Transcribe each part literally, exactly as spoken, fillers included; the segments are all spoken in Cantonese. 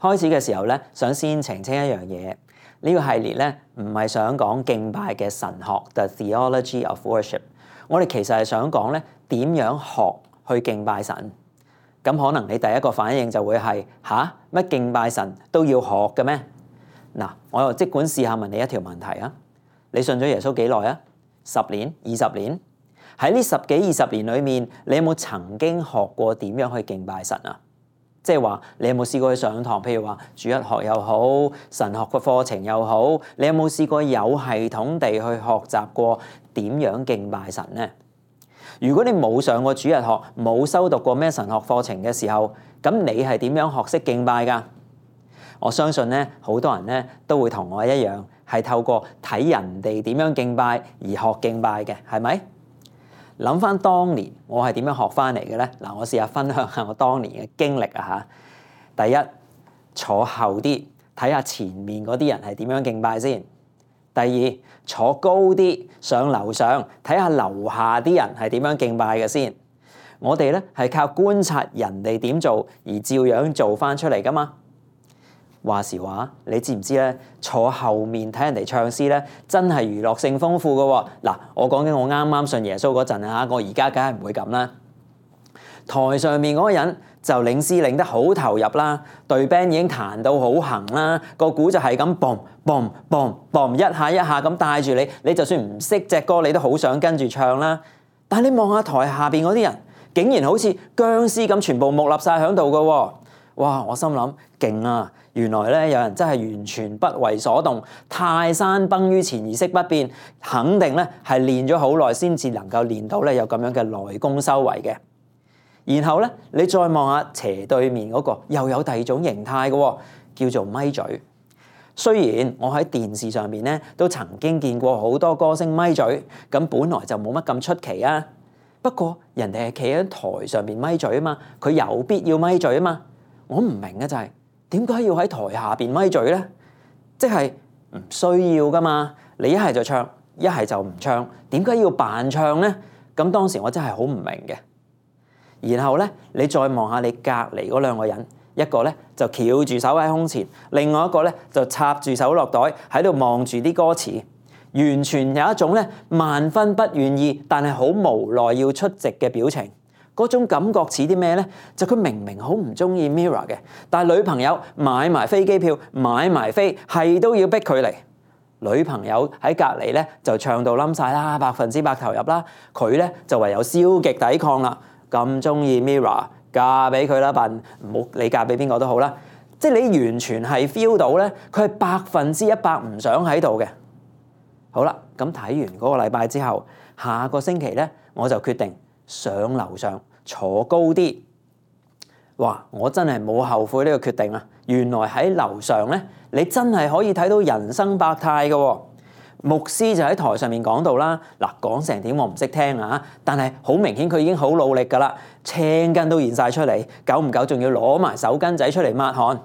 開始嘅時候咧，想先澄清一樣嘢，呢個系列咧唔係想講敬拜嘅神學 The Theology of Worship， 我哋其實係想講咧點樣學去敬拜神。咁可能你第一個反應就會係吓，乜敬拜神都要學嘅咩？嗱，我又即管試下問你一條問題啊，你信咗耶穌幾耐啊？十年、二十年？喺呢十幾二十年裏面，你有冇曾經學過點樣去敬拜神啊？即係話你有冇試過去上堂？譬如話主日學又好，神學嘅課程又好，你有冇試過有系統地去學習過點樣敬拜神呢？如果你冇上過主日學，冇修讀過咩神學課程嘅時候，咁你係點樣學識敬拜㗎？我相信咧，好多人咧都會同我一樣，係透過睇人哋點樣敬拜而學敬拜嘅，係咪？諗翻當年我係點樣學翻嚟嘅咧？嗱，我試下分享下我當年嘅經歷啊嚇。第一，坐後啲睇下前面嗰啲人係點樣敬拜先。第二，坐高啲上樓上睇下樓下啲人係點樣敬拜嘅先。我哋咧係靠觀察人哋點做而照樣做翻出嚟噶嘛。話時話，你知唔知咧？坐後面睇人哋唱詩咧，真係娛樂性豐富噶喎。嗱，我講緊我啱啱信耶穌嗰陣啊，我而家梗係唔會咁啦。台上面嗰個人就領詩領得好投入啦，隊 band 已經彈到好行啦，個鼓就係咁 boom boom boom boom 一下一下咁帶住你，你就算唔識隻歌，你都好想跟住唱啦。但係你望下台下邊嗰啲人，竟然好似僵屍咁，全部木立晒喺度噶喎。哇！我心諗勁啊！原來咧有人真係完全不為所動，泰山崩於前而色不變，肯定咧係練咗好耐先至能夠練到咧有咁樣嘅內功修為嘅。然後咧你再望下斜對面嗰個，又有第二種形態嘅，叫做咪嘴。雖然我喺電視上面咧都曾經見過好多歌星咪嘴，咁本來就冇乜咁出奇啊。不過人哋係企喺台上面咪嘴啊嘛，佢有必要咪嘴啊嘛。我唔明嘅就係點解要喺台下邊咪嘴咧？即係唔需要噶嘛。你一係就唱，一係就唔唱，點解要扮唱咧？咁當時我真係好唔明嘅。然後咧，你再望下你隔離嗰兩個人，一個咧就翹住手喺胸前，另外一個咧就插住手落袋喺度望住啲歌詞，完全有一種咧萬分不願意，但係好無奈要出席嘅表情。嗰種感覺似啲咩咧？就佢明明好唔中意 Mirror 嘅，但係女朋友買埋飛機票，買埋飛，係都要逼佢嚟。女朋友喺隔離咧就唱到冧晒啦，百分之百投入啦。佢咧就唯有消極抵抗啦。咁中意 Mirror， 嫁俾佢啦，笨，唔好你嫁俾邊個都好啦。即係你完全係 feel 到咧，佢係百分之一百唔想喺度嘅。好啦，咁睇完嗰個禮拜之後，下個星期咧我就決定上樓上坐高啲。哇！我真係冇後悔呢個決定啊！原來喺樓上咧，你真係可以睇到人生百態嘅喎。牧師就喺台上面講到啦，嗱，講成點我唔識聽啊，但係好明顯佢已經好努力噶啦，青筋都現晒出嚟，久唔久仲要攞埋手巾仔出嚟抹汗。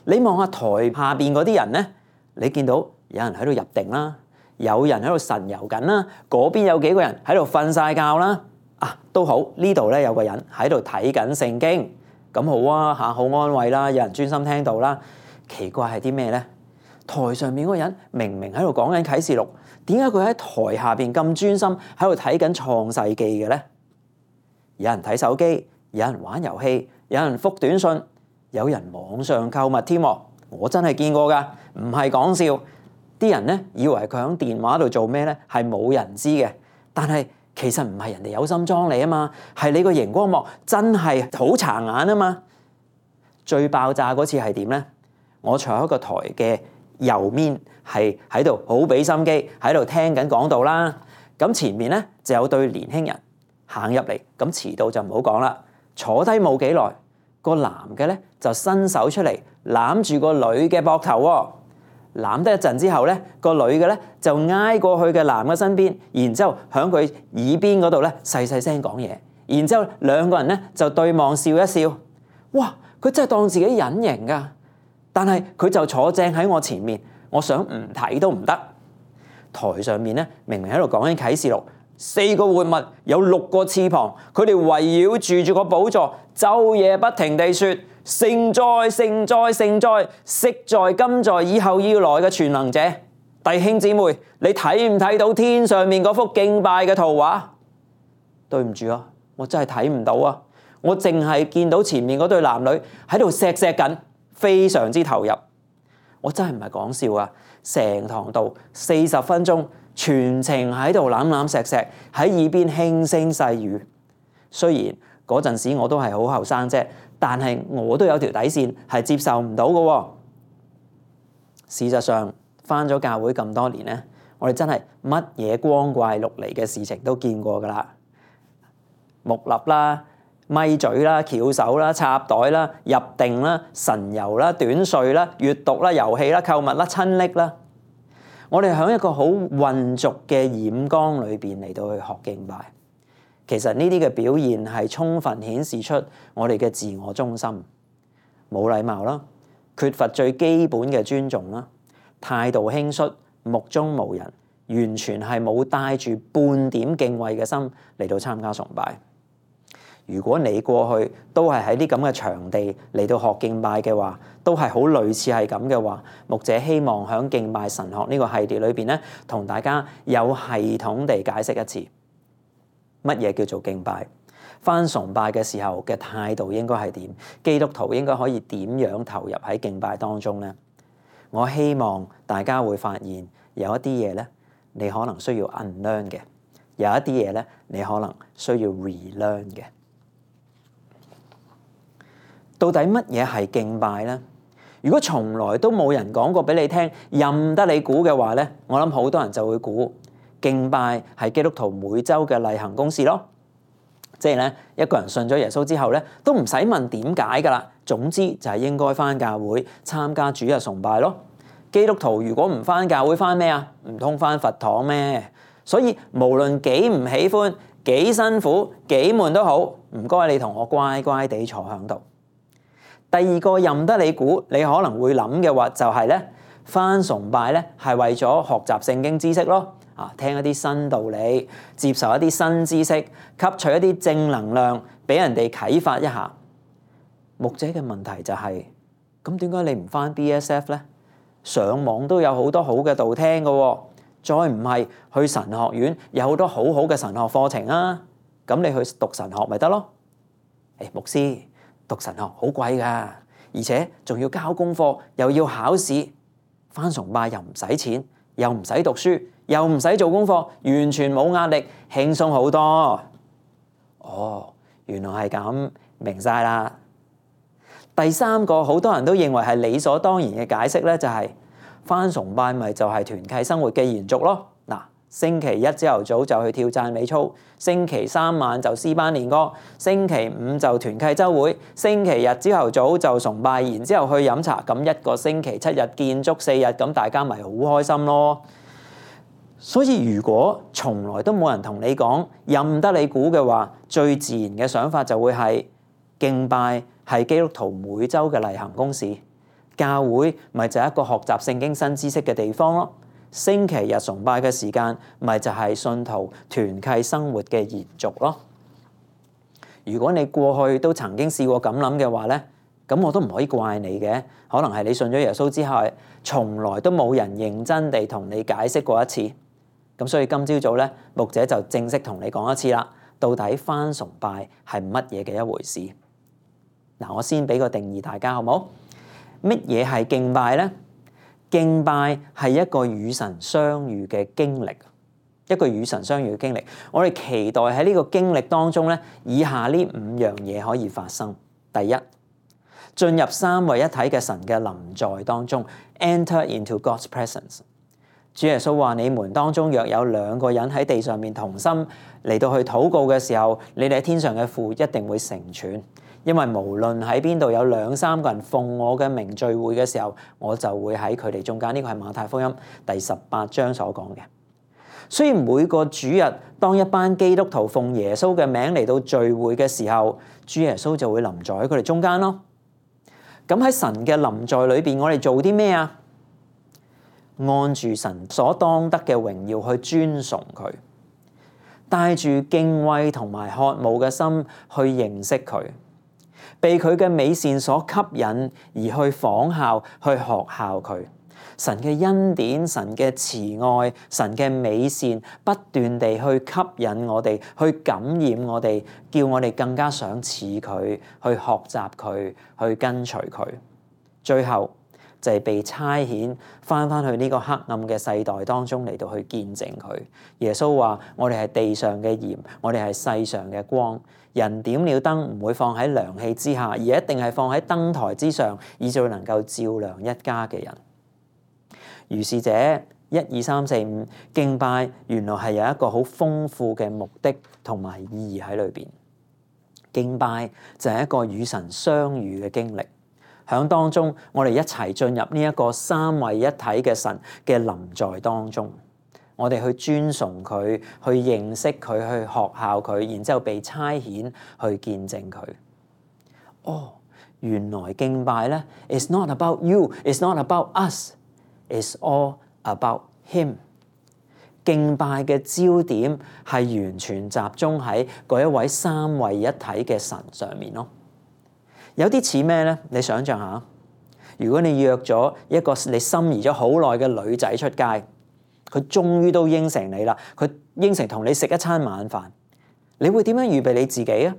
你望下台下邊嗰啲人咧，你見到有人喺度入定啦，有人喺度神遊緊啦，嗰邊有幾個人喺度瞓晒覺啦。啊，都好，呢度咧有個人喺度睇緊聖經，咁好啊嚇，好安慰啦，有人專心聽到啦。奇怪係啲咩咧？台上面嗰個人明明喺度講緊啟示錄，點解佢喺台下邊咁專心喺度睇緊創世記嘅咧？有人睇手機，有人玩遊戲，有人覆短信，有人網上購物添。我真係見過㗎，唔係講笑。啲人咧以為佢喺電話度做咩咧，係冇人知嘅，但係其實唔係人哋有心裝你啊嘛，係你個熒光幕真係好殘眼啊嘛。最爆炸嗰次係點咧？我坐喺個台嘅右面，係喺度好俾心機喺度聽緊講道啦。咁前面咧就有對年輕人行入嚟，咁遲到就唔好講啦。坐低冇幾耐，個男嘅咧就伸手出嚟攬住個女嘅膊頭喎。攬得一陣之後咧，個女嘅咧就挨過去嘅男嘅身邊，然之後響佢耳邊嗰度咧細細聲講嘢，然之後兩個人咧就對望笑一笑。哇！佢真係當自己隱形㗎，但係佢就坐正喺我前面，我想唔睇都唔得。台上面咧明明喺度講緊啟示錄，四個活物有六個翅膀，佢哋圍繞住住個寶座，晝夜不停地説：聖哉聖哉聖哉，昔在今在以後要來嘅全能者。弟兄姊妹，你睇唔睇到天上面嗰幅敬拜嘅圖畫？對唔住啊，我真係睇唔到啊！我淨係見到前面嗰對男女喺度錫錫緊，非常之投入。我真係唔係講笑啊！成堂道四十分鐘，全程喺度攬攬錫錫，喺耳邊輕聲細語。雖然嗰陣時我都係好後生啫，但係我都有條底線係接受唔到嘅。事實上，返咗教會咁多年咧，我哋真係乜嘢光怪陸離嘅事情都見過㗎啦。木立啦、咪嘴啦、翹手啦、插袋啦、入定啦、神遊啦、短睡啦、閱讀啦、遊戲啦、購物啦、親昵啦，我哋喺一個好混濁嘅染缸裏邊嚟到去學敬拜。其實呢啲嘅表現係充分顯示出我哋嘅自我中心、冇禮貌啦、缺乏最基本嘅尊重啦、態度輕率、目中無人，完全係冇帶住半點敬畏嘅心嚟到參加崇拜。如果你過去都係喺啲咁嘅場地嚟到學敬拜嘅話，都係好類似係咁嘅話，牧者希望喺敬拜神學呢個系列裏邊咧，同大家有系統地解釋一次乜嘢叫做敬拜，返崇拜嘅時候嘅態度應該係點，基督徒應該可以點樣投入喺敬拜當中呢？我希望大家會發現有一啲嘢咧，你可能需要 unlearn 嘅，有一啲嘢咧，你可能需要 relearn 嘅。到底乜嘢係敬拜呢？如果從來都冇人講過俾你聽，任得你估嘅話咧，我諗好多人就會估敬拜係基督徒每週嘅例行公事咯。即係咧，一個人信咗耶穌之後咧，都唔使問點解噶啦。總之就係應該返教會參加主日崇拜咯。基督徒如果唔返教會，返咩啊？唔通返佛堂咩？所以無論幾唔喜歡、幾辛苦、幾悶都好，唔該你同我乖乖地坐響度。第二個任得你估，你可能會諗嘅話就係咧，返崇拜咧係為咗學習聖經知識咯，啊，聽一啲新道理，接受一啲新知識，吸取一啲正能量，俾人哋啟發一下。牧者嘅問題就係，咁點解你唔返 B S F 咧？上網都有好多好嘅道聽嘅，再唔係去神學院有好多好好嘅神學課程啊，咁你去讀神學咪得咯？誒，牧師。讀神學好貴㗎，而且仲要交功課，又要考試，返崇拜又唔使錢，又唔使讀書，又唔使做功課，完全冇壓力，輕鬆好多。哦，原來係咁，明晒啦。第三個好多人都認為係理所當然嘅解釋咧，就係返崇拜咪就係團契生活嘅延續咯。嗱，星期一朝頭早就去跳讚美操，星期三晚就詩班練歌，星期五就團契週會，星期日朝頭早就崇拜，然之後去飲茶，咁一個星期七日見足四日，咁大家咪好開心咯。所以如果從來都冇人同你講，任得你估嘅話，最自然嘅想法就會係敬拜係基督徒每週嘅例行公事，教會咪就係一個學習聖經新知識嘅地方咯。星期日崇拜嘅時間，咪就係信徒團契生活嘅延續咯。如果你過去都曾經試過咁諗嘅話咧，咁我都唔可以怪你嘅。可能係你信咗耶穌之後，從來都冇人認真地同你解釋過一次。咁所以今朝早咧，牧者就正式同你講一次啦。到底返崇拜係乜嘢嘅一回事？嗱，我先俾個定義大家好唔好？乜嘢係敬拜咧？敬拜係一個與神相遇嘅經歷，一個與神相遇嘅經歷。我哋期待喺呢個經歷當中咧，以下呢五樣嘢可以發生。第一，進入三位一體嘅神嘅臨在當中 ，enter into God's presence。主耶穌話：你們當中若有兩個人喺地上面同心嚟到去禱告嘅時候，你哋喺天上嘅父一定會成全。因為無論喺邊度有兩三個人奉我嘅名聚會嘅時候，我就會喺佢哋中間。呢個係馬太福音第十八章所講嘅。所以每個主日，當一班基督徒奉耶穌嘅名嚟到聚會嘅時候，主耶穌就會臨在喺佢哋中間咯。咁喺神嘅臨在裏邊，我哋做啲咩啊？按住神所當得嘅榮耀去尊崇佢，帶住敬畏同埋渴慕嘅心去認識佢。被佢嘅美善所吸引而去仿效、去學效佢。神嘅恩典、神嘅慈愛、神嘅美善，不斷地去吸引我哋，去感染我哋，叫我哋更加想似佢，去學習佢，去跟隨佢。最後就係被差遣翻返去呢個黑暗嘅世代當中嚟到去見證佢。耶穌話：我哋係地上嘅鹽，我哋係世上嘅光。人點了燈唔會放喺涼氣之下，而一定係放喺燈台之上，以至能夠照亮一家嘅人。如是者，一二三四五敬拜原來係有一個好豐富嘅目的同埋意義喺裏邊。敬拜就係一個與神相遇嘅經歷，響當中我哋一齊進入呢一個三位一體嘅神嘅臨在當中，我哋去尊崇佢，去認識佢，去學效佢，然之後被差遣去見證佢。哦，原來敬拜咧 ，It's not about you, It's not about us.It's all about him。敬拜嘅焦點係完全集中喺嗰一位三位一體嘅神上面咯。有啲似咩咧？你想象下，如果你約咗一個你心儀咗好耐嘅女仔出街，佢終於都應承你啦，佢應承同你食一餐晚飯，你會點樣預備你自己啊？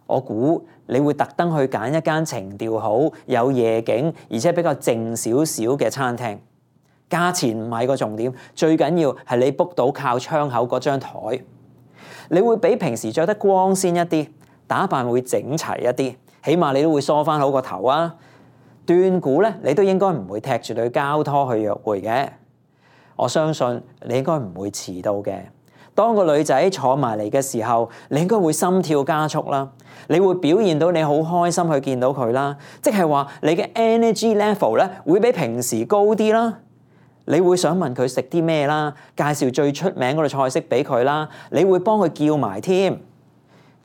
我估你會特登去揀一間情調好、有夜景，而且比較靜少少嘅餐廳。價錢唔係個重點，最緊要係你 book 到靠窗口嗰張台。你會比平時着得光鮮一啲，打扮會整齊一啲，起碼你都會梳翻好個頭啊。斷估咧，你都應該唔會踢住對膠拖去約會嘅。我相信你應該唔會遲到嘅。當個女仔坐埋嚟嘅時候，你應該會心跳加速啦。你會表現到你好開心去見到佢啦，即係話你嘅 energy level 咧會比平時高啲啦。你會想問佢食啲咩啦，介紹最出名嗰道菜式俾佢啦，你會幫佢叫埋添。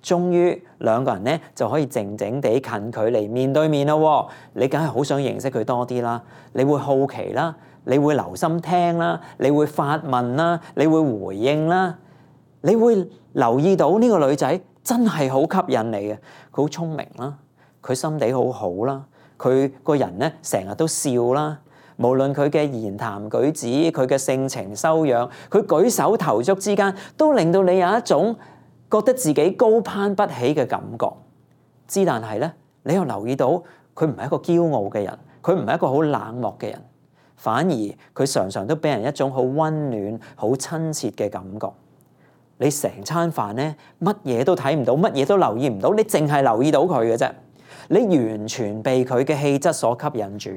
終於兩個人咧就可以靜靜地近距離面對面咯。你梗係好想認識佢多啲啦，你會好奇啦，你會留心聽啦，你會發問啦，你會回應啦，你會留意到呢個女仔真係好吸引你嘅，佢好聰明啦，佢心地好好啦，佢個人咧成日都笑啦。無論佢嘅言談舉止，佢嘅性情修養，佢舉手投足之間，都令到你有一種覺得自己高攀不起嘅感覺。之但係咧，你又留意到佢唔係一個驕傲嘅人，佢唔係一個好冷漠嘅人，反而佢常常都俾人一種好溫暖、好親切嘅感覺。你成餐飯咧，乜嘢都睇唔到，乜嘢都留意唔到，你淨係留意到佢嘅啫。你完全被佢嘅氣質所吸引住。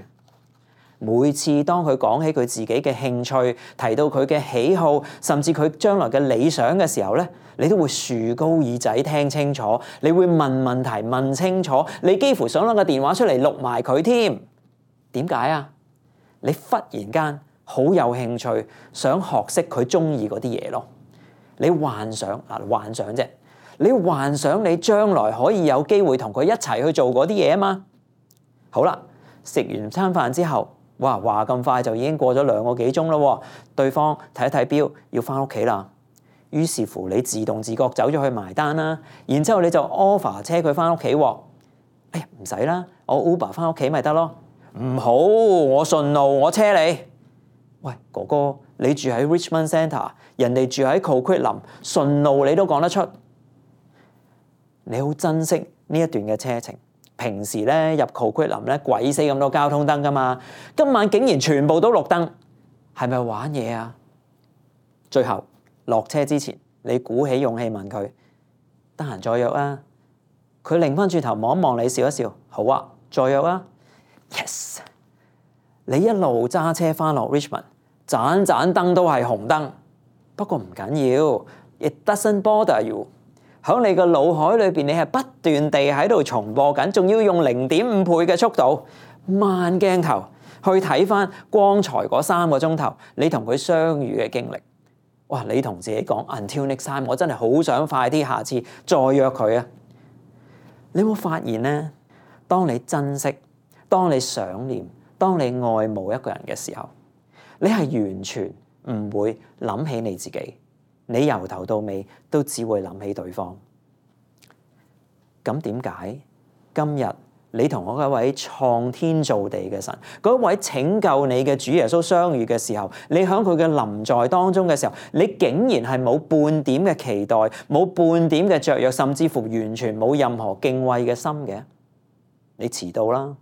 每次當佢講起佢自己嘅興趣，提到佢嘅喜好，甚至佢將來嘅理想嘅時候咧，你都會豎高耳仔聽清楚，你會問問題問清楚，你幾乎想攞個電話出嚟錄埋佢添。點解啊？你忽然間好有興趣，想學識佢中意嗰啲嘢咯。你幻想嗱，幻想啫，你幻想你將來可以有機會同佢一齊去做嗰啲嘢啊嘛。好啦，食完餐飯之後。哇！話咁快就已經過咗兩個幾鐘咯，對方睇一睇錶，要翻屋企啦。於是乎，你自動自覺走咗去埋單啦。然之後你就 offer 車佢翻屋企喎。哎呀，唔使啦，我 Uber 翻屋企咪得咯。唔好，我順路，我車你。喂，哥哥，你住喺 Richmond Centre， 人哋住喺 Coquitlam， 順路你都講得出。你好珍惜呢一段嘅車程。平時咧入 Coquitlam 咧鬼死咁多交通燈噶嘛，今晚竟然全部都綠燈，係咪玩嘢啊？最後落車之前，你鼓起勇氣問佢：得閒再約啊？佢擰翻轉頭望一望你，笑一笑，好啊，再約啊 ！Yes， 你一路揸車翻落 Richmond， 盞盞燈都係紅燈，不過唔緊要 ，It doesn't bother you。喺你個腦海裏邊，你係不斷地喺度重播緊，仲要用零點五倍嘅速度慢鏡頭去睇翻剛才嗰三個鐘頭你同佢相遇嘅經歷。哇！你同自己講 Until next time，我真係好想快啲下次再約佢啊！你有冇發現呢？當你珍惜、當你想念、當你愛慕一個人嘅時候，你係完全唔會諗起你自己。你由頭到尾都只會諗起對方。咁點解今日你同嗰一位創天造地嘅神，嗰一位拯救你嘅主耶穌相遇嘅時候，你喺佢嘅臨在當中嘅時候，你竟然係冇半點嘅期待，冇半點嘅雀躍，甚至乎完全冇任何敬畏嘅心嘅。你遲到啦，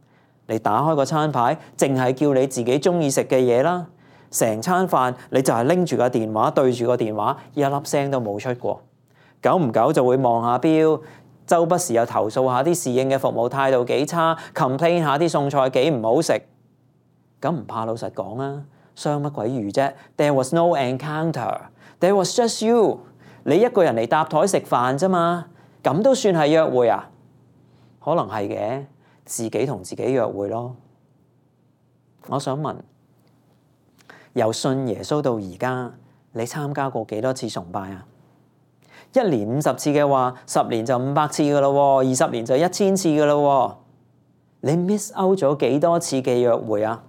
你打開個餐牌，淨係叫你自己中意食嘅嘢啦，成餐飯你就係拎住個電話對住個電話，一粒聲都冇出過，久唔久就會望下錶。周不時又投訴下啲侍應嘅服務態度幾差 ，complain 下啲餸菜幾唔好食，咁唔怕老實講啊，相乜鬼魚啫 ？There was no encounter, there was just you。你一個人嚟搭台食飯啫嘛，咁都算係約會啊？可能係嘅，自己同自己約會咯。我想問，由信耶穌到而家，你參加過幾多次崇拜啊？一年五十次嘅話，十年就五百次噶咯，二十年就一千次噶咯。你 miss out 咗幾多次嘅約會啊？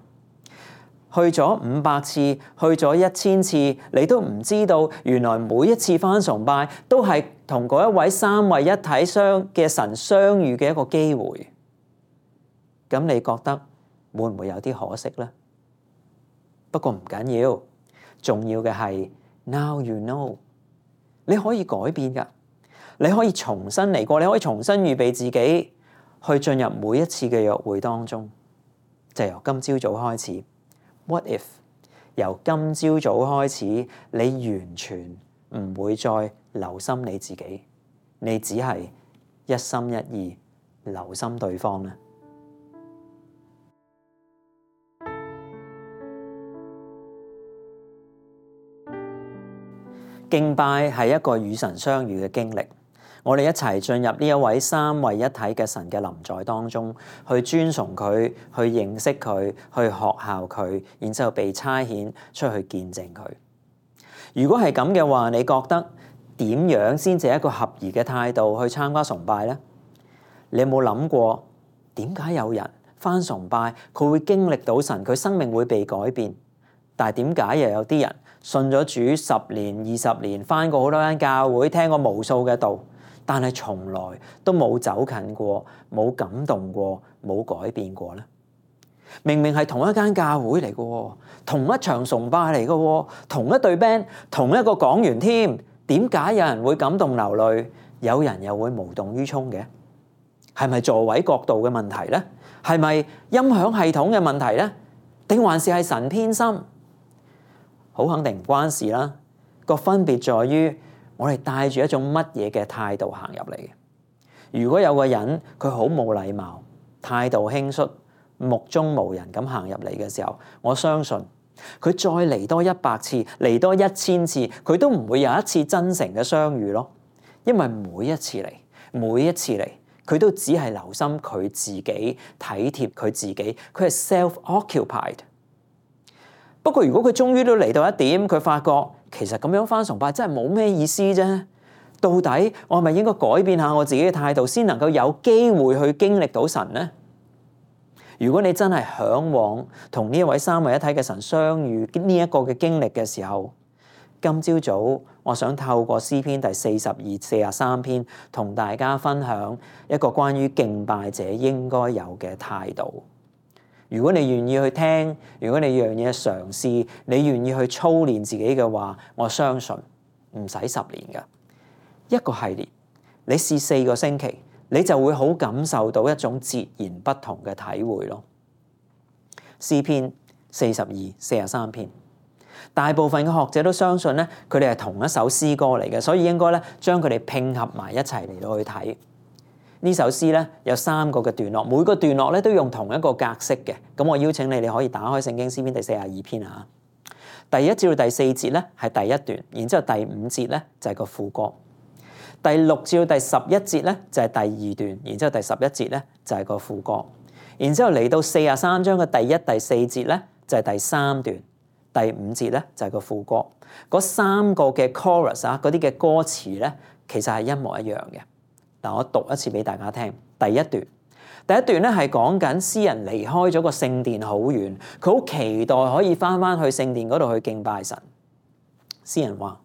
去咗五百次，去咗一千次，你都唔知道，原來每一次返崇拜都係同嗰一位三位一體相嘅神相遇嘅一個機會。咁你覺得會唔會有啲可惜呢？不過唔緊要，重要嘅係 now you know。你可以改變㗎，你可以重新嚟過，你可以重新預備自己去進入每一次嘅約會當中。就由今朝早開始 ，What if 由今朝早開始，你完全唔會再留心你自己，你只係一心一意留心對方呢？敬拜係一個與神相遇嘅經歷，我哋一齊進入呢一位三位一體嘅神嘅臨在當中，去尊崇佢，去認識佢，去學效佢，然之後被差遣出去見證佢。如果係咁嘅話，你覺得點樣先至係一個合宜嘅態度去參加崇拜呢？你有冇諗過點解有人返崇拜佢會經歷到神，佢生命會被改變？但係點解又有啲人信咗主十年、二十年，返過好多間教會，聽過無數嘅道，但係從來都冇走近過，冇感動過，冇改變過呢？明明係同一間教會嚟嘅，同一場崇拜嚟嘅，同一隊 band，同一個講員添，點解有人會感動流淚，有人又會無動於衷嘅？係咪座位角度嘅問題呢？係咪音響系統嘅問題呢？定還是係神偏心？好肯定唔關事啦，個分別在於我哋帶住一種乜嘢嘅態度行入嚟嘅。如果有個人佢好冇禮貌、態度輕率、目中無人咁行入嚟嘅時候，我相信佢再嚟多一百次、嚟多一千次，佢都唔會有一次真誠嘅相遇咯。因為每一次嚟，每一次嚟，佢都只係留心佢自己，體貼佢自己，佢係 self-occupied。不過如果佢終於都嚟到一點，佢發覺其實咁樣返崇拜真係冇咩意思啫。到底我係咪應該改變下我自己嘅態度，先能夠有機會去經歷到神呢？如果你真係嚮往同呢一位三位一體嘅神相遇呢一個嘅經歷嘅時候，今朝早我想透過詩篇第四十二、四十三篇，同大家分享一個關於敬拜者應該有嘅態度。如果你願意去聽，如果你願意去嘗試，你願意去操練自己嘅話，我相信唔使十年㗎，一個系列，你試四個星期，你就會好感受到一種截然不同嘅體會咯。詩篇四十二、四十三篇，大部分嘅學者都相信咧，佢哋係同一首詩歌嚟嘅，所以應該咧將佢哋拼合埋一齊嚟到去睇。呢首詩咧有三個嘅段落，每個段落咧都用同一個格式嘅。咁我邀請你，你可以打開聖經詩篇第四十二篇啊。第一至到第四節咧係第一段，然之後第五節咧就係個副歌。第六至到第十一節咧就係第二段，然之後第十一節咧就係個副歌。然之後嚟到四十三章嘅第一、第四節咧就係第三段，第五節咧就係個副歌。嗰三個嘅 chorus 啊，嗰啲嘅歌詞咧其實係一模一樣嘅。嗱，我讀一次俾大家聽。第一段，第一段咧係講緊詩人離開咗個聖殿好遠，佢好期待可以翻翻去聖殿嗰度去敬拜神。詩人話：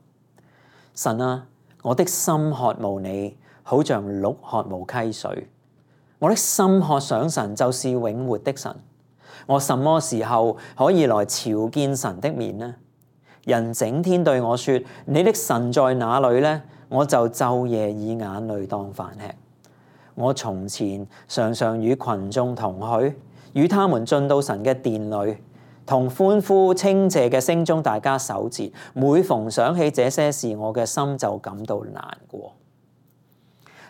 神啊，我的心渴慕你，好像鹿渴慕溪水。我的心渴想神，就是永活的神。我什麼時候可以來朝見神的面呢？人整天對我說：你的神在哪裏呢？我就晝夜以眼淚當飯吃。我從前常常與群眾同去，與他們進到神嘅殿裏，同歡呼稱謝嘅聲中大家守節。每逢想起這些事，我嘅心就感到難過。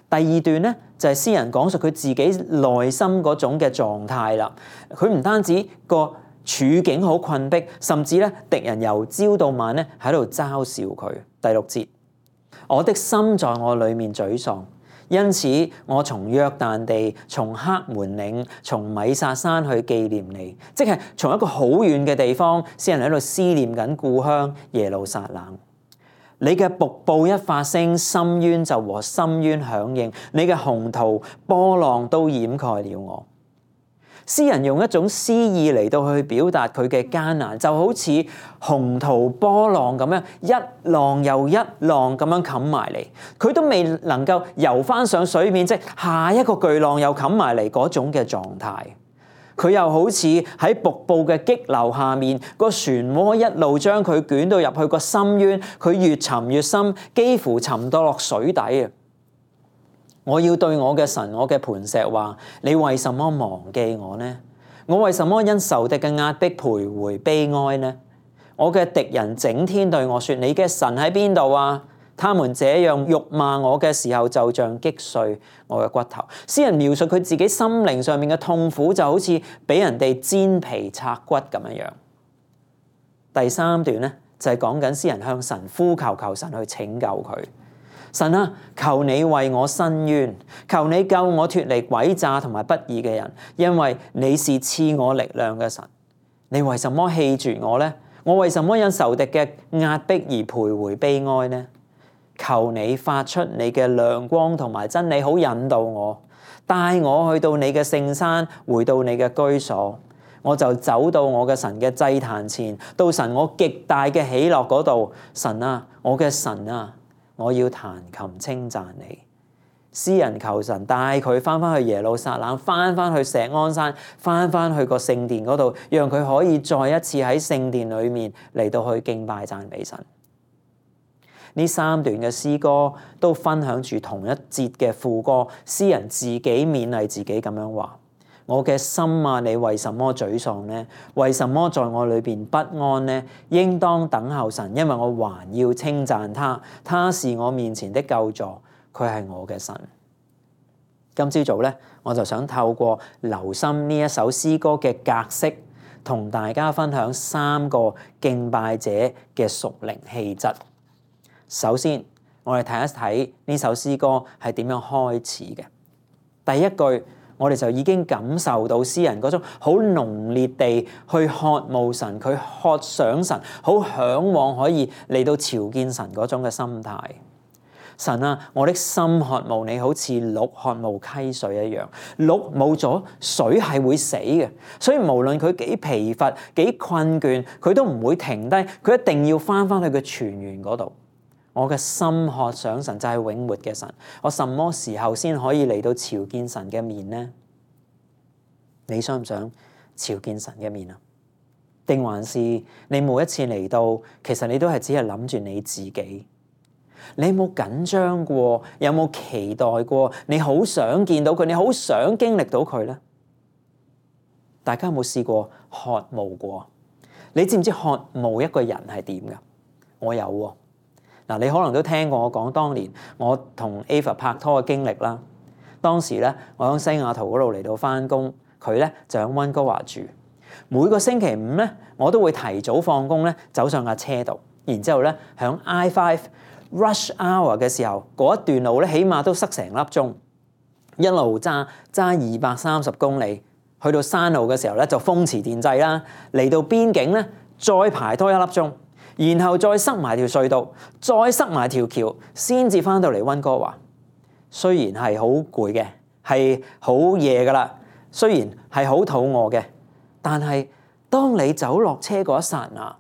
第二段咧就係詩人講述佢自己內心嗰種嘅狀態啦。佢唔單止個處境好困迫，甚至咧敵人由朝到晚咧喺度嘲笑佢。第六節，我的心在我裡面沮喪，因此我從約旦地、從黑門嶺、從米撒山去紀念你，即係從一個好遠嘅地方，詩人喺度思念緊故鄉耶路撒冷。你嘅瀑布一發聲，深淵就和深淵響應；你嘅洪濤波浪都掩蓋了我。詩人用一種詩意嚟到去表達佢嘅艱難，就好似洪濤波浪咁樣，一浪又一浪咁樣冚埋嚟，佢都未能夠游翻上水面，即係下一個巨浪又冚埋嚟嗰種嘅狀態。佢又好似喺瀑布嘅激流下面，個漩渦一路將佢捲到入去個深淵，佢越沉越深，幾乎沉到落水底啊！我要對我嘅神，我嘅磐石話：你為什麼忘記我呢？我為什麼因仇敵嘅壓迫徘徊悲哀呢？我嘅敵人整天對我說：你嘅神喺邊度啊？他們這樣辱罵我嘅時候，就像擊碎我嘅骨頭。詩人描述佢自己心靈上面嘅痛苦，就好似俾人哋煎皮拆骨咁樣樣。第三段咧就係講緊詩人向神呼求，求神去拯救佢。神啊，求你為我伸冤，求你救我脫離詭詐同埋不義嘅人，因為你是賜我力量嘅神。你為什麼棄絕我呢？我為什麼因仇敵嘅壓迫而徘徊悲哀呢？求你發出你嘅亮光同埋真理，好引導我，帶我去到你嘅聖山，回到你嘅居所。我就走到我嘅神嘅祭壇前，到神我極大嘅喜樂嗰度。神啊，我嘅神啊，我要彈琴稱讚你。詩人求神帶佢翻返去耶路撒冷，翻返去錫安山，翻返去個聖殿嗰度，讓佢可以再一次喺聖殿裏面嚟到去敬拜讚美神。呢三段嘅詩歌都分享住同一節嘅副歌，詩人自己勉勵自己咁樣話：我嘅心啊，你為什麼沮喪呢？為什麼在我裏邊不安呢？應當等候神，因為我還要稱讚他，他是我面前的救助，佢係我嘅神。今朝早咧，我就想透過留心呢一首詩歌嘅格式，同大家分享三個敬拜者嘅屬靈氣質。首先，我哋睇一睇呢首詩歌係點樣開始嘅。第一句，我哋就已經感受到詩人嗰種好濃烈地去渴慕神，佢渴想神，好嚮往可以嚟到朝見神嗰種嘅心態。神啊，我的心渴慕你，好似鹿渴慕溪水一樣。鹿冇咗水係會死嘅，所以無論佢幾疲乏、幾困倦，佢都唔會停低，佢一定要翻返去個泉源嗰度。我嘅心渴想神，就係永活嘅神。我什麼時候先可以嚟到朝見神嘅面呢？你想唔想朝見神嘅面啊？定還是你每一次嚟到，其實你都係只係諗住你自己？你有冇緊張過？有冇期待過？你好想見到佢，你好想經歷到佢呢？大家有冇試過渴慕過？你知唔知渴慕一個人係點㗎？我有喎。嗱，你可能都聽過我講當年我同 Ava 拍拖嘅經歷啦。當時咧，我喺西雅圖嗰度嚟到翻工，佢咧就喺溫哥華住。每個星期五咧，我都會提早放工咧，走上架車度，然之後咧喺 I 五 rush hour 嘅時候，嗰一段路咧，起碼都塞成粒鐘，一路揸揸二百三十公里，去到山路嘅時候咧就風馳電掣啦，嚟到邊境咧再排多一粒鐘。然後再塞埋條隧道，再塞埋條橋，先至翻到嚟溫哥華。雖然係好攰嘅，係好夜噶啦，雖然係好肚餓嘅，但係當你走落車嗰一剎那，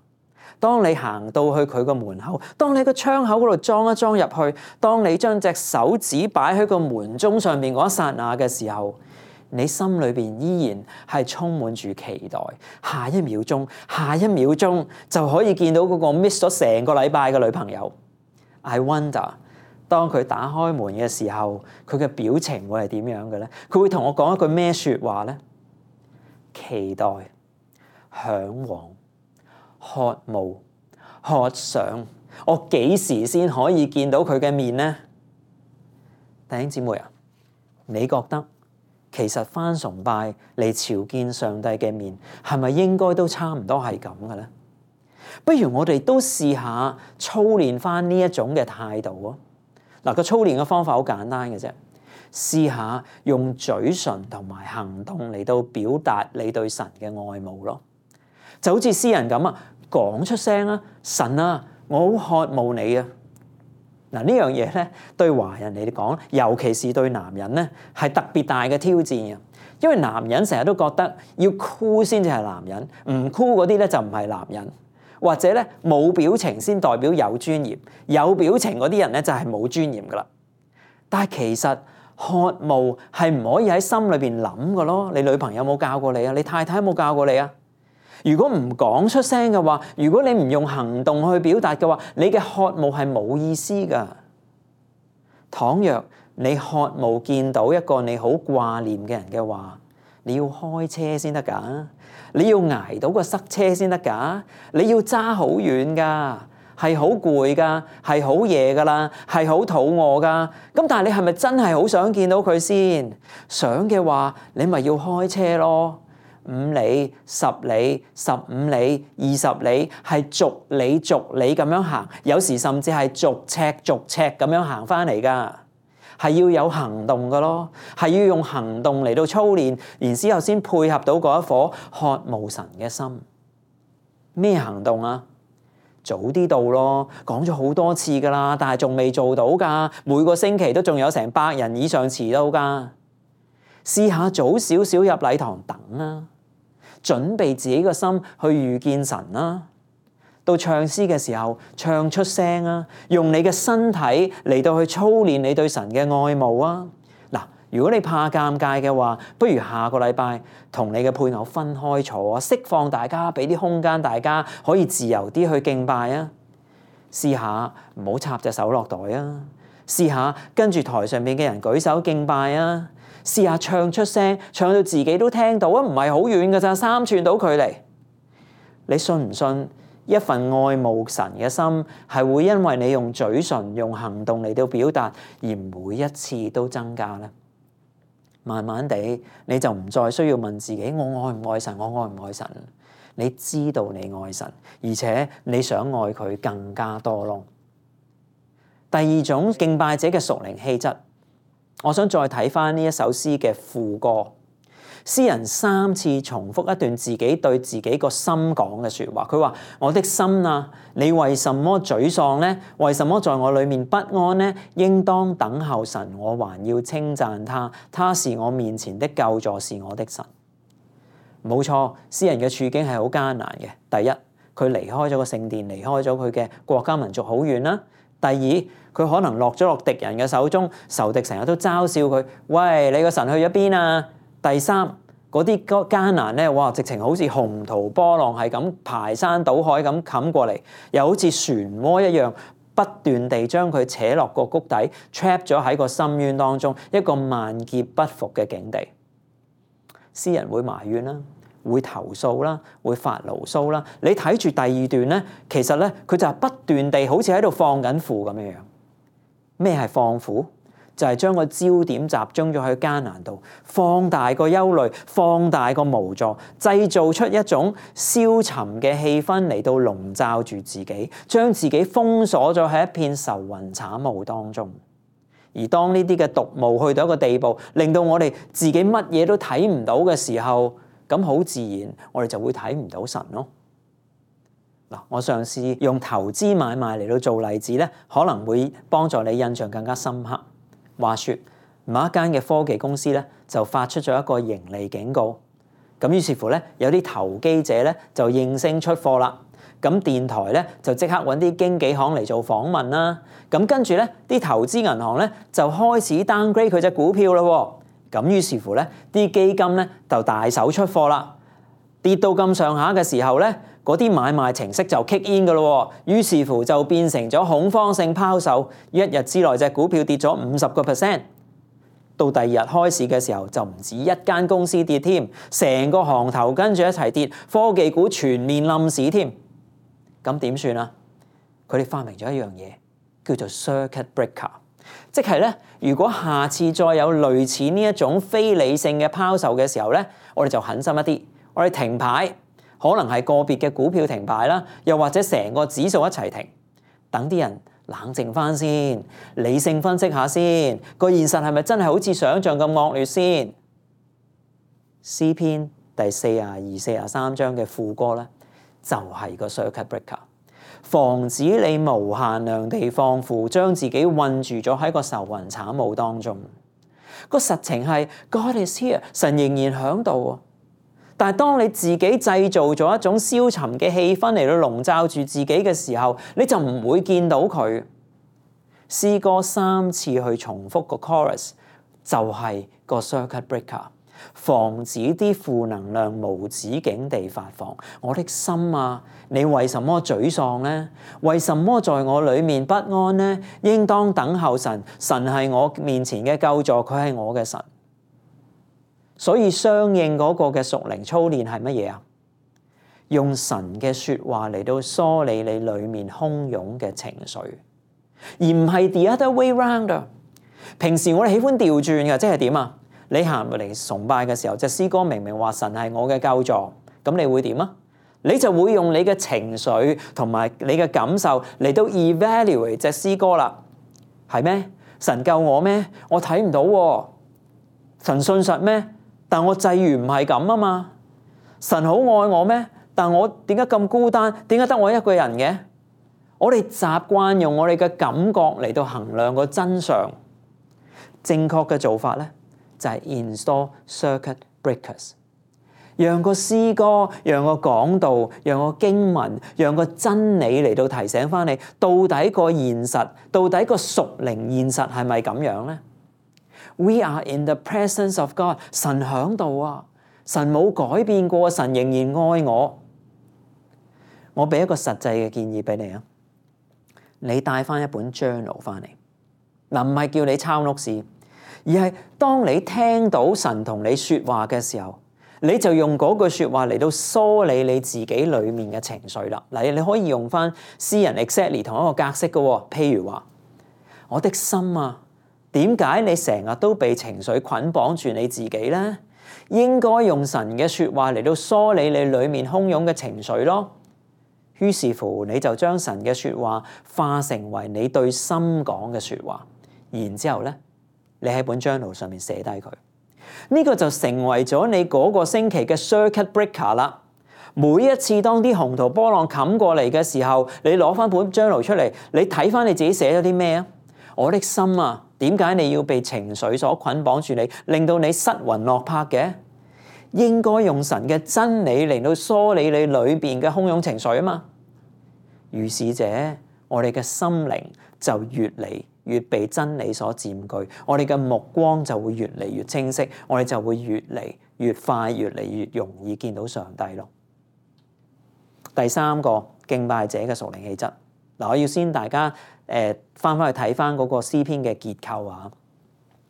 當你行到去佢個門口，當你個窗口嗰度裝一裝入去，當你將隻手指擺喺個門鐘上面嗰一剎那嘅時候，你心裏邊依然係充滿住期待，下一秒鐘，下一秒鐘就可以見到嗰個 miss 咗成個禮拜嘅女朋友。I wonder， 當佢打開門嘅時候，佢嘅表情會係點樣嘅咧？佢會同我講一句咩説話咧？期待、嚮往、渴慕、渴想，我幾時先可以見到佢嘅面呢？弟兄姊妹啊，你覺得其實返崇拜嚟朝見上帝嘅面，係咪應該都差唔多係咁嘅咧？不如我哋都試下操練返呢一種嘅態度啊！嗱，個操練嘅方法好簡單嘅啫，試下用嘴唇同埋行動嚟到表達你對神嘅愛慕咯。就好似詩人咁啊，講出聲啊，神啊，我好渴慕你啊！嗱，呢樣嘢咧，對華人嚟講，尤其是對男人咧，係特別大嘅挑戰嘅。因為男人成日都覺得要酷先至係男人，唔酷嗰啲咧就唔係男人，或者咧冇表情先代表有尊嚴，有表情嗰啲人咧就係冇尊嚴噶啦。但係其實渴慕係唔可以喺心裏邊諗嘅咯。你女朋友有冇教過你啊？你太太有冇教過你啊？如果唔講出聲嘅話，如果你唔用行動去表達嘅話，你嘅渴慕係冇意思噶。倘若你渴慕見到一個你好掛念嘅人嘅話，你要開車先得噶，你要捱到個塞車先得噶，你要揸好遠噶，係好攰噶，係好夜噶啦，係好肚餓噶。咁但係你係咪真係好想見到佢先？想嘅話，你咪要開車咯。五里、十里、十五里、二十里，係逐里逐里咁樣行，有時甚至係逐尺逐尺咁樣行翻嚟噶，係要有行動噶咯，係要用行動嚟到操練，然之後先配合到嗰一顆渴慕神嘅心。咩行動啊？早啲到咯，講咗好多次噶啦，但係仲未做到噶，每個星期都仲有成百人以上遲到噶。試下早少少入禮堂等啊！準備自己個心去遇見神啦。到唱詩嘅時候，唱出聲啊！用你嘅身體嚟到去操練你對神嘅愛慕啊！嗱，如果你怕尷尬嘅話，不如下個禮拜同你嘅配偶分開坐啊，釋放大家，俾啲空間大家可以自由啲去敬拜啊！試下唔好插隻手落袋啊！試下跟住台上面嘅人舉手敬拜啊！試下唱出聲，唱到自己都聽到啊！唔係好遠㗎咋，三寸到距離。你信唔信一份愛慕神嘅心係會因為你用嘴唇、用行動嚟到表達，而每一次都增加呢？慢慢地你就唔再需要問自己：我愛唔愛神？我愛唔愛神？你知道你愛神，而且你想愛佢更加多咯。第二種敬拜者嘅屬靈氣質。我想再睇翻呢一首詩嘅副歌，詩人三次重複一段自己對自己個心講嘅說話。佢話：我的心啊，你為什麼沮喪呢？為什麼在我裏面不安呢？應當等候神，我還要稱讚他，他是我面前的救助，是我的神。冇錯，詩人嘅處境係好艱難嘅。第一，佢離開咗個聖殿，離開咗佢嘅國家民族好遠啦。第二，佢可能落咗落敵人嘅手中，仇敵成日都嘲笑佢：喂，你個神去咗邊啊？第三，嗰啲艱難咧，哇，直情好似洪濤波浪，係咁排山倒海咁冚過嚟，又好似漩渦一樣，不斷地將佢扯落個谷底 trap 咗喺個深淵當中，一個萬劫不復嘅境地。詩人會埋怨啦，會投訴啦，會發牢騷啦。你睇住第二段咧，其實咧佢就係不斷地好似喺度放緊負咁樣樣。咩係放負？就係、是、將個焦點集中咗喺艱難度，放大個憂慮，放大個無助，製造出一種消沉嘅氣氛嚟到籠罩住自己，將自己封鎖咗喺一片愁雲慘霧當中。而當呢啲嘅毒霧去到一個地步，令到我哋自己乜嘢都睇唔到嘅時候，咁好自然，我哋就會睇唔到神咯。嗱，我嘗試用投資買賣嚟到做例子咧，可能會幫助你印象更加深刻。話說，某一間嘅科技公司咧，就發出咗一個盈利警告。咁於是乎咧，有啲投機者咧就應聲出貨啦。咁電台咧就即刻揾啲經紀行嚟做訪問啦。咁跟住咧，啲投資銀行咧就開始 downgrade 佢隻股票啦。咁於是乎咧，啲基金咧就大手出貨啦。跌到咁上下嘅時候咧，嗰啲買賣程式就 kick in 㗎咯。於是乎就變成咗恐慌性拋售，一日之內隻股票跌咗五十個 percent。到第二日開市嘅時候，就唔止一間公司跌添，成個行頭跟住一齊跌，科技股全面冧市添。咁點算啊？佢哋發明咗一樣嘢，叫做 circuit breaker， 即係咧，如果下次再有類似呢一種非理性嘅拋售嘅時候咧，我哋就狠心一啲，我哋停牌，可能係個別嘅股票停牌啦，又或者成個指數一齊停，等啲人冷靜翻先，理性分析下先，個現實係咪真係好似想像咁惡劣先？詩篇第四十二、四十三章嘅副歌咧，就係個 circuit breaker， 防止你無限量地放負，將自己困住咗喺個愁雲慘霧當中。個實情係 God is here， 神仍然響度啊！但係當你自己製造咗一種消沉嘅氣氛嚟到籠罩住自己嘅時候，你就唔會見到佢。詩歌三次去重複個 chorus， 就係個 circuit breaker， 防止啲負能量無止境地發放。我的心啊，你為什麼沮喪呢？為什麼在我裡面不安呢？應當等候神，神係我面前嘅救助，佢係我嘅神。所以相應嗰個嘅屬靈操練係乜嘢啊？用神嘅說話嚟到梳理你裏面洶湧嘅情緒，而唔係 the other way round 啊！平時我哋喜歡調轉嘅，即係點啊？你行嚟崇拜嘅時候，隻詩歌明明話神係我嘅救助，咁你會點啊？你就會用你嘅情緒同埋你嘅感受嚟到 evaluate 隻詩歌啦。係咩？神救我咩？我睇唔到喎。神信實咩？但我際遇唔係咁啊嘛。神好愛我咩？但我點解咁孤單？點解得我一個人嘅？我哋習慣用我哋嘅感覺嚟到衡量個真相。正確嘅做法咧，就係 install circuit breakers， 讓個詩歌、讓個講道、讓個經文、讓個真理嚟到提醒翻你，到底個現實，到底個屬靈現實係咪咁樣咧？We are in the presence of God， 神響度啊，神冇改變過，神仍然愛我。我俾一個實際嘅建議俾你啊，你帶翻一本 journal 翻嚟，嗱，唔係叫你抄 notes，而係當你聽到神同你說話嘅時候，你就用嗰句說話嚟到梳理你自己裏面嘅情緒啦。嗱，你可以用翻詩人 exactly 同一個格式嘅，譬如話，我的心啊，點解你成日都被情緒捆綁住你自己咧？應該用神嘅說話嚟到梳理你裏面洶湧嘅情緒咯。於是乎，你就將神嘅說話化成為你對心講嘅說話，然之後咧，你喺本 journal 上面寫低佢。呢個就成為咗你嗰個星期嘅 circuit breaker 啦。每一次當啲洪濤波浪冚過嚟嘅時候，你攞翻本 journal 出嚟，你睇翻你自己寫咗啲咩啊？我的心啊，點解你要被情緒所捆綁住你，令到你失魂落魄嘅？應該用神嘅真理嚟到梳理你裏邊嘅洶湧情緒啊嘛。如是者，我哋嘅心靈就越嚟越被真理所佔據，我哋嘅目光就會越嚟越清晰，我哋就會越嚟越快，越嚟越容易見到上帝咯。第三個敬拜者嘅屬靈氣質，嗱，我要先大家誒翻返去睇翻嗰個詩篇嘅結構啊。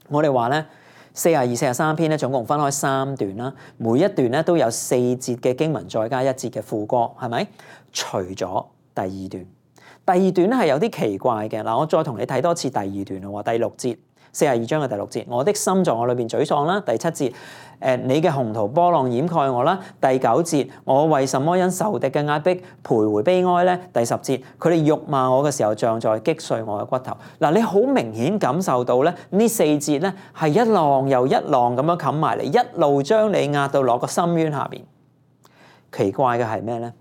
我哋話咧，四十二、四十三篇咧，總共分開三段啦，每一段咧都有四節嘅經文，再加一節嘅副歌，係咪？除咗第二段，第二段咧係有啲奇怪嘅。嗱，我再同你睇多次第二段咯。第六節，四十二章嘅第六節，我的心在我裏邊沮喪啦。第七節，誒，你嘅洪濤波浪掩蓋我啦。第九節，我為什麼因仇敵嘅壓迫徘徊悲哀咧？第十節，佢哋辱罵我嘅時候，像在擊碎我嘅骨頭。嗱，你好明顯感受到咧，呢四節咧係一浪又一浪咁樣冚埋嚟，一路將你壓到落個深淵下邊。奇怪嘅係咩咧？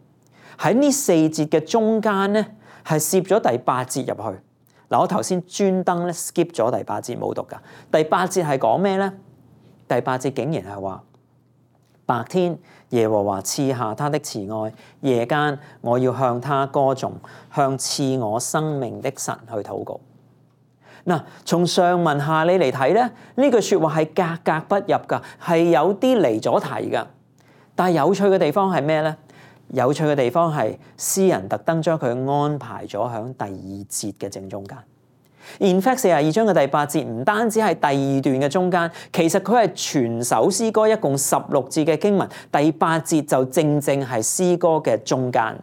喺呢四節嘅中間咧，係攝咗第八節入去。嗱，我頭先專登咧 skip 咗第八節冇讀噶。第八節係講咩咧？第八節竟然係話，白天耶和華賜下他的慈愛，夜間我要向他歌頌，向賜我生命的神去禱告。嗱，從上文下理嚟睇咧，呢句説話係格格不入㗎，係有啲離咗題㗎。但係有趣嘅地方係咩咧？有趣嘅地方係詩人特登將佢安排咗喺第二節嘅正中間。In fact， 四十二章嘅第八節唔單止係第二段嘅中間，其實佢係全首詩歌一共十六節嘅經文，第八節就正正係詩歌嘅中間。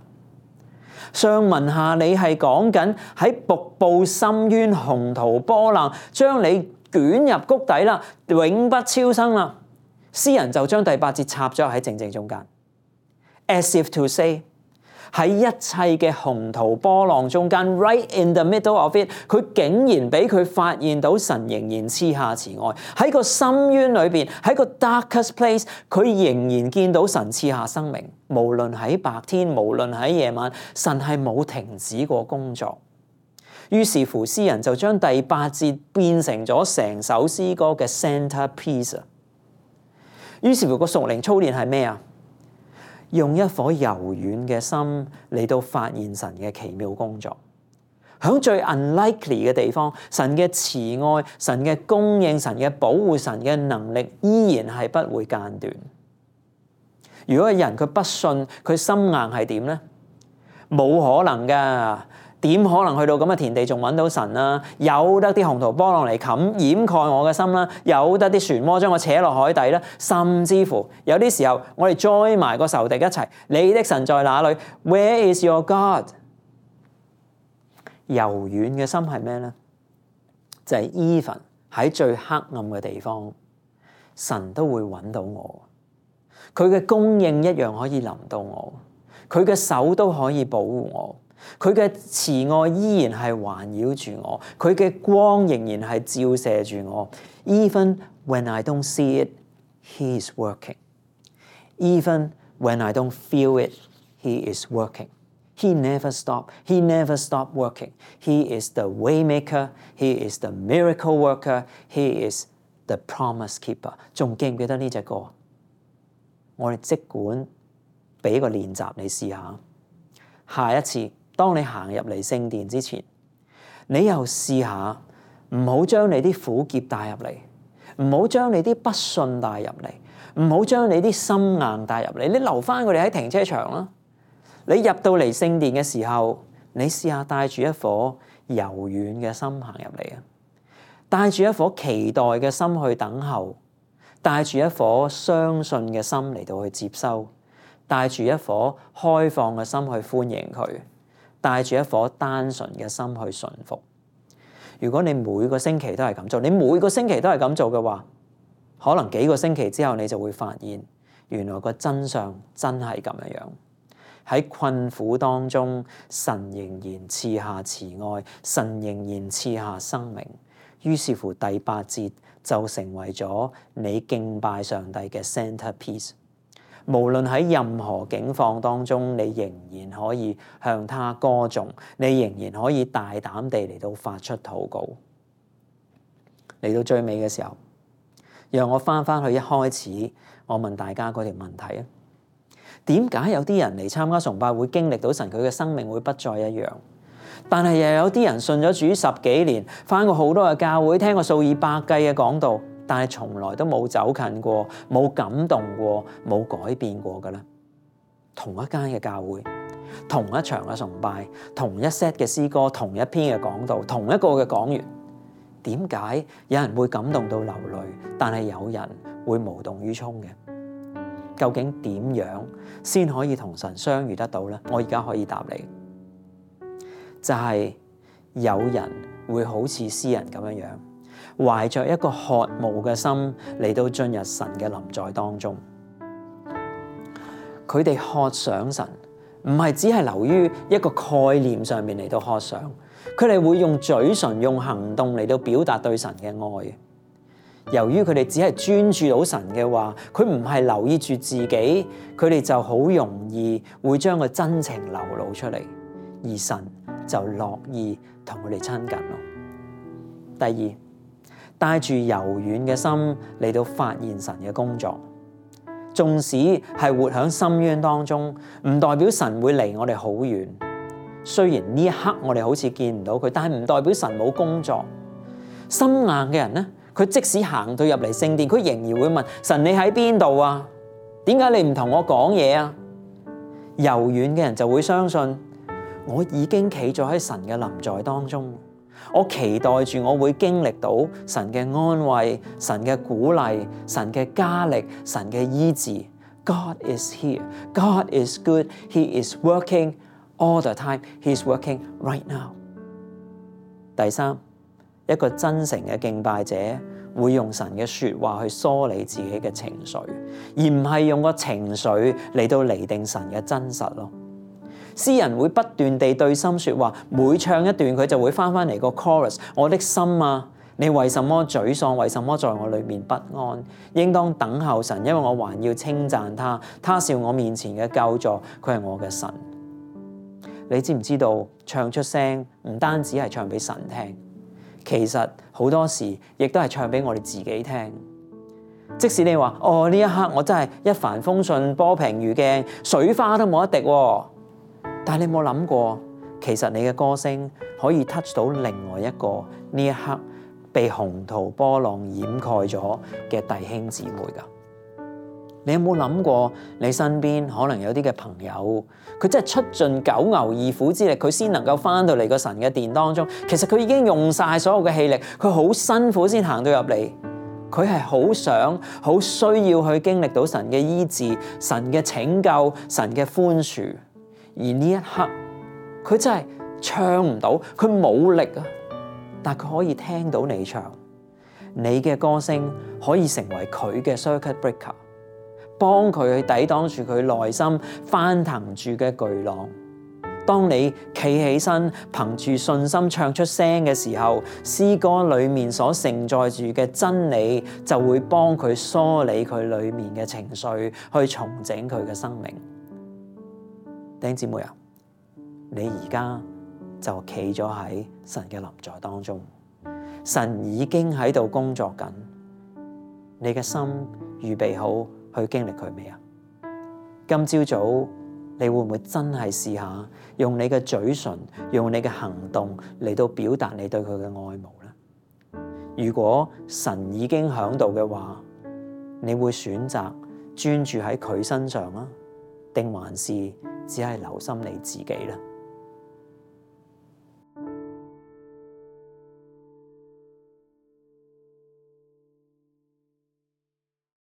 上文下理係講緊喺瀑布深淵洪濤波浪，將你捲入谷底啦，永不超生啦。詩人就將第八節插咗喺正正中間 ，as if to say 喺一切嘅洪濤波浪中間 ，right in the middle of it， 佢竟然俾佢發現到神仍然賜下慈愛喺個深淵裏邊，喺個 darkest place， 佢仍然見到神賜下生命。無論喺白天，無論喺夜晚，神係冇停止過工作。於是乎，詩人就將第八節變成咗成首詩歌嘅 centerpiece。於是乎，個屬靈操練係咩啊？用一顆柔軟嘅心嚟到發現神嘅奇妙工作。喺最 unlikely 嘅地方，神嘅慈愛、神嘅供應、神嘅保護、神嘅能力依然係不會間斷。如果人佢不信，佢心硬係點咧？冇可能㗎，點可能去到咁嘅田地仲揾到神啊？有得啲洪濤波浪嚟冚掩蓋我嘅心啦，有得啲漩渦將我扯落海底啦，甚至乎有啲時候我哋 join 埋個仇敵一齊，你的神在哪裏 ？Where is your God？ 柔軟嘅心係咩咧？就係 even 喺最黑暗嘅地方，神都會揾到我。佢嘅供應一樣可以臨到我，佢嘅手都可以保護我，佢嘅慈愛依然係環繞住我，佢嘅光仍然係照射住我。Even when I don't see it, He is working. Even when I don't feel it, He is working. He never stop. He never stop working. He is the waymaker. He is the miracle worker. He is the promise keeper. 仲記唔記得呢隻歌？我哋即管俾個練習你試下，下一次當你行入嚟聖殿之前，你又試下唔好將你啲苦澀帶入嚟，唔好將你啲不信帶入嚟，唔好將你啲心硬帶入嚟，你留翻佢哋喺停車場啦。你入到嚟聖殿嘅時候，你試下帶住一顆柔軟嘅心行入嚟啊，帶住一顆期待嘅心去等候。帶住一顆相信嘅心嚟到去接收，帶住一顆開放嘅心去歡迎佢，帶住一顆單純嘅心去順服。如果你每個星期都係咁做，你每個星期都係咁做嘅話，可能幾個星期之後你就會發現，原來個真相真係咁樣樣。喺困苦當中，神仍然賜下慈愛，神仍然賜下生命。於是乎，第八節就成為咗你敬拜上帝嘅 centerpiece。無論喺任何境況當中，你仍然可以向他歌頌，你仍然可以大膽地嚟到發出禱告。嚟到最尾嘅時候，讓我翻翻去一開始我問大家嗰條問題啊：點解有啲人嚟參加崇拜會經歷到神佢嘅生命會不再一樣？但係又有啲人信咗主十幾年，返過好多嘅教會，聽過數以百計嘅講道，但係從來都冇走近過，冇感動過，冇改變過嘅咧。同一間嘅教會，同一場嘅崇拜，同一 set 嘅詩歌，同一篇嘅講道，同一個嘅講員，點解有人會感動到流淚，但係有人會無動於衷嘅？究竟點樣先可以同神相遇得到咧？我而家可以答你。就係有人會好似詩人咁樣樣，懷着一個渴慕嘅心嚟到進入神嘅臨在當中。佢哋渴想神，唔係只係流於一個概念上面嚟到渴想，佢哋會用嘴唇、用行動嚟到表達對神嘅愛。由於佢哋只係專注到神嘅話，佢唔係留意住自己，佢哋就好容易會將個真情流露出嚟，而神就樂意同佢哋親近咯。第二，帶住柔軟嘅心嚟到發現神嘅工作，縱使係活喺深淵當中，唔代表神會離我哋好遠。雖然呢一刻我哋好似見唔到佢，但係唔代表神冇工作。心硬嘅人咧，佢即使行到入嚟聖殿，佢仍然會問神：你喺邊度啊？點解你唔同我講嘢啊？柔軟嘅人就會相信，我已經企咗喺神嘅臨在當中，我期待住我會經歷到神嘅安慰、神嘅鼓勵、神嘅加力、神嘅醫治。God is here. God is good. He is working all the time. He is working right now. 第三，一個真誠嘅敬拜者會用神嘅說話去梳理自己嘅情緒，而唔係用個情緒嚟到釐定神嘅真實咯。詩人會不斷地對心說話，每唱一段佢就會翻翻嚟個 chorus。我的心啊，你為什麼沮喪？為什麼在我裏面不安？應當等候神，因為我還要稱讚他。他是我面前嘅救助，佢係我嘅神。你知唔知道唱出聲唔單止係唱俾神聽，其實好多時亦都係唱俾我哋自己聽。即使你話哦，呢一刻我真係一帆風順，波平如鏡，水花都冇一滴喎，但係你有冇諗過，其實你嘅歌聲可以 touch 到另外一個呢一刻被洪濤波浪掩蓋咗嘅弟兄姊妹㗎？你有冇諗過，你身邊可能有啲嘅朋友，佢真係出盡九牛二虎之力，佢先能夠翻到嚟個神嘅殿當中。其實佢已經用晒所有嘅氣力，佢好辛苦先行到入嚟。佢係好想、好需要去經歷到神嘅醫治、神嘅拯救、神嘅寬恕。而呢一刻，佢真係唱唔到，佢冇力啊！但佢可以聽到你唱，你嘅歌聲可以成為佢嘅 circuit breaker。幫佢去抵擋住佢內心翻騰住嘅巨浪。當你企起身，憑住信心唱出聲嘅時候，詩歌裏面所承載住嘅真理就會幫佢梳理佢裏面嘅情緒，去重整佢嘅生命。弟兄姊妹啊，你而家就企咗喺神嘅臨在當中，神已經喺度工作緊，你嘅心預備好去經歷佢未啊？今朝早你會唔會真係試下用你嘅嘴唇，用你嘅行動嚟到表達你對佢嘅愛慕呢？如果神已經響度嘅話，你會選擇專注喺佢身上啊，定還是只係留心你自己呢？